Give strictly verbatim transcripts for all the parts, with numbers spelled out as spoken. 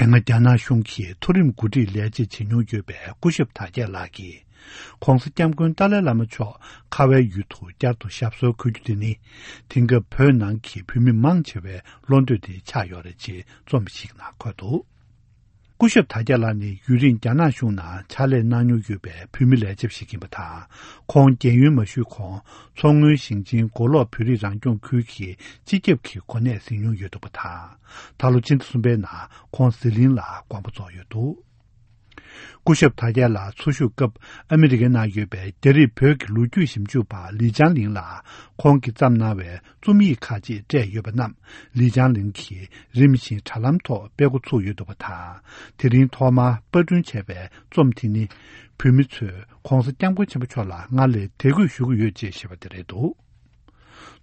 ང་རྒྱ་ནག་གཞུང་གིས་མཐོ་རིམ་འགོ་ཁྲིད་ལས་བྱེད་བྱེད་མྱོང་ཡོད་པའི་སྐུ་ཞབས་དར་རྒྱས་ལགས་ཀྱིས། ྋགོང་ས་ྋསྐྱབས་མགོན་ཏཱ་ལའི་བླ་མ་མཆོག་ཁ་བའི་ཡུལ་དུ་བསྐྱར་དུ་ཞབས་སོར་འཁོད་རྒྱུ་དེ་ནི། དེང་སྐབས་བོད་ནང་གི་བོད་མི་མང་ཆེ་བའི་བློ་འདོད་དེ་ཆགས་ཡོད་རེད་ཅེས་རྩོམ་ཞིག་ནང་འཁོད་འདུག་སྐུ་ཞབས་དར་རྒྱས་ལགས་ནི་ཡུན་རིང་རྒྱ་ནག་གཞུང་ནང་ཕྱག་ལས་གནང་མྱོང་ཡོད་པའི་བོད་མི་ལས་བྱེད་ཞིག་ཡིན་པ་དང་། ཁོང་རྒས་ཡོལ་མ་ཞུས་གོང་མཚོ་སྔོན་ཞིང་ཆེན་མགོ་ལོག་བོད་རིགས་རང་སྐྱོང་ཁུལ་གྱི་སྤྱི་ཁྱབ་ཀྱི་གོ་གནས་ཟིན་མྱོང་ཡོད་འདུག་པ་དང་། ད་ལོ་སྤྱི་ཟླ་གསུམ་པའི་ནང་ཁོང་ཟི་ལིང་ལ་དགོངས་པ་རྫོགས་ཡོད་འདུག་སྐུ་ཞབས་དར་རྒྱས་ལགས་འཚོ་བཞུགས་སྐབས་ཨ་མི་རི་ཀའི་ནང་ཡོད་པའི་རྒྱ་རིགས་བོད་ཀྱི་ལོ་རྒྱུས་ཞིབ་འཇུག་པ་ལི་ཅང་ལིང་ལགས་ཁོང་གིས་བརྩམས་གནང་བའི་རྩོམ་ཡིག་ཁག་ཅིག་སྤྲད་ཡོད་པ་རྣམས་ལི་ཅང་ལིང་གིས་རིམ་བཞིན་དྲ་ལམ་ཐོག་སྤེལ་འགོ་ཚུགས་ཡོད་འདུག་པ་དང་། དེ་རིང་ཐོག་མར་པར་སྐྲུན་བྱས་པའི་རྩོམ་དེ་ནི། བོད་མི་ཚོས་ྋགོང་ས་ྋསྐྱབས་མགོན་ཆེན་པོ་མཆོག་ལ་སྔར་ལས་དད་གུས་ཞུ་གི་ཡོད་ཅེས་བཤད་པ་དེ་རེད་འདུག་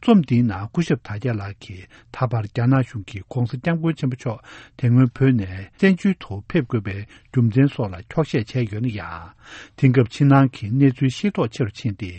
རྩོམ་འདིའི་ནང་སྐུ་ཞབས་དར་རྒྱས་ལགས་ཀྱིས་ད་བར་རྒྱ་ནག་གཞུང་གིས་ྋགོང་ས་ྋསྐྱབས་མགོན་ཆེན་པོ་མཆོག་དེ་སྔོན་བོད་ནས་བཙན་བྱོལ་དུ་ཕེབས་དགོས་པའི་རྒྱུ་མཚན་སོགས་ལ་འཁྱོག་བཤད་བྱས་ཡོད་ན་ཡང་། དེང་སྐབས་ཕྱི་ནང་གི་གནས་ཚུལ་ཤེས་རྟོགས་ཆེ་རུ་ཕྱིན་ཏེ།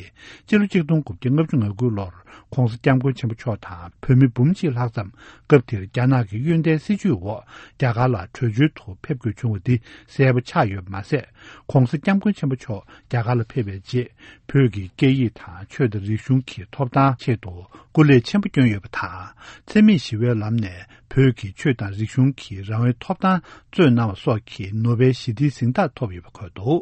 སྤྱི་ལོ་ཆིག་སྟོང་དགུ་བརྒྱ་ལྔ་བཅུ་ང་དགུ་ལོར་ྋགོང་ས་ྋསྐྱབས་མགོན་ཆེན་པོ་མཆོག་དང་བོད་མི་འབུམ་གཅིག་ལྷག་ཙམ་སྐབས་དེར་རྒྱ་ནག་གི་གཡོན་ཐལ་སྲིད་བྱུས་འོག་རྒྱ་གར་ལ་བྲོས་བྱོལ་དུ་ཕེབས་དགོས་བྱུང་བ་འདི་གསལ་པོ་ཆགས་ཡོད་པ་མ་ཟད། ྋགོང་ས་ྋསྐྱབས་མགོན་ཆེན་པོ་མཆོག་རྒྱ་གར་ལ་ཕེབས་པའི་རྗེས། བོད་ཀྱི་སྐད་ཡིག་དང་ཆོས་དང་རིག་གཞུང་གི་ཐོབ་ཐང་ཆེད་དུ་སྐུ་ལས་ཆེན་པོ་བསྐྱོན་ཡོད་པ་དང་། འཚེ་མེད་ཞི་བའི་ལམ་ནས་བོད་ཀྱི་ཆོས་དང་རིག་གཞུང་གི་རང་དབང་ཐོབ་ཐང་རྩོད་གནང་བ་སོགས་ཀྱི་ནོ་བེལ་ཞི་བདེའི་གཟེངས་རྟགས་ཐོབ་ཡོད་པ་འཁོད་འདུག་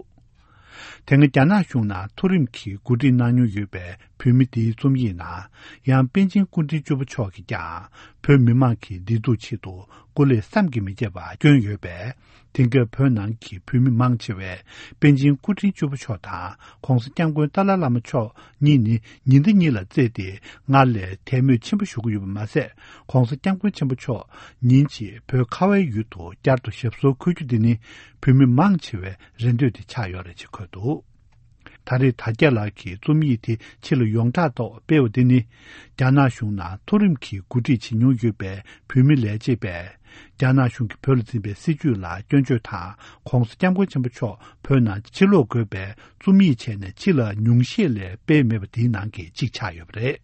དེ་སྔ་རྒྱ་ནག་གཞུང་ནང་མཐོ་རིམ་གྱི་འགོ་ཁྲིད་གནང་མྱོང་ཡོད་པའི་བོད་མི་འདིའི་རྩོམ་ཡིག་ནང་། ཡང་པེ་ཅིང་སྐུ་ཕྲེང་བཅུ་པ་མཆོག་གིས་ཀྱང་བོད་མི་མང་གི་བདེ་སྡུག་ཆེད་དུ་སྐུ་ལས་བསམ་གྱིས་མི་ཁྱབ་པ་བསྐྱོན་ཡོད་པས། དེང་སྐབས་བོད་ནང་གི་བོད་མི་མང་ཆེ་བས་པེ་ཅིང་སྐུ་ཕྲེང་བཅུ་པ་མཆོག་དང་ྋགོང་ས་ྋསྐྱབས་མགོན་ཏཱ་ལའི་བླ་མ་མཆོག་གཉིས་ནི་ཉི་ཟླ་གཉིས་ལ་བརྩིས་ཏེ་སྔར་ལས་དད་མོས་ཆེན་པོ་ཞུ་གི་ཡོད་པ་མ་ཟད། ྋགོང་ས་ྋསྐྱབས་མགོན་ཆེན་པོ་མཆོག་ཉིན་གཅིག་བོད་ཁ་བའི་ཡུལ་དུ་བསྐྱར་དུ་ཞབས་སོར་འཁོད་རྒྱུ་འདི་ནི་བོད་མི་མང་ཆེ་བའི་རེ་འདོད་དེ་ཆགས་ཡོད་རེད་ཅེས་འཁོད་འདུག་ད་རེས་དར་རྒྱས་ལགས་ཀྱིས་རྩོམ་ཡིག་དེ་ཕྱི་ལ་ཡོངས་གྲགས་ཐོག་སྤེལ་བ་འདི་ནི། རྒྱ་ནག་གཞུང་ནང་མཐོ་རིམ་གྱི་འགོ་ཁྲིད་བྱེད་མྱོང་ཡོད་པའི་བོད་མི་ལས་བྱེད་པས། རྒྱ་ནག་གཞུང་གིས་བོད་ལ་འཛིན་པའི་སྲིད་བྱུས་ལ་སྐྱོན་བརྗོད་དང་། ྋགོང་ས་ྋསྐྱབས་མགོན་ཆེན་པོ་མཆོག་བོད་ནང་ཕྱིར་ལོག་དགོས་པའི་རྩོམ་ཡིག་བྱས་ནས་ཕྱི་ལ་ཉུང་ཤས་ལས་སྤེལ་མེད་པ་དེའི་ནང་གི་གཅིག་ཆགས་ཡོད་པ་རེད།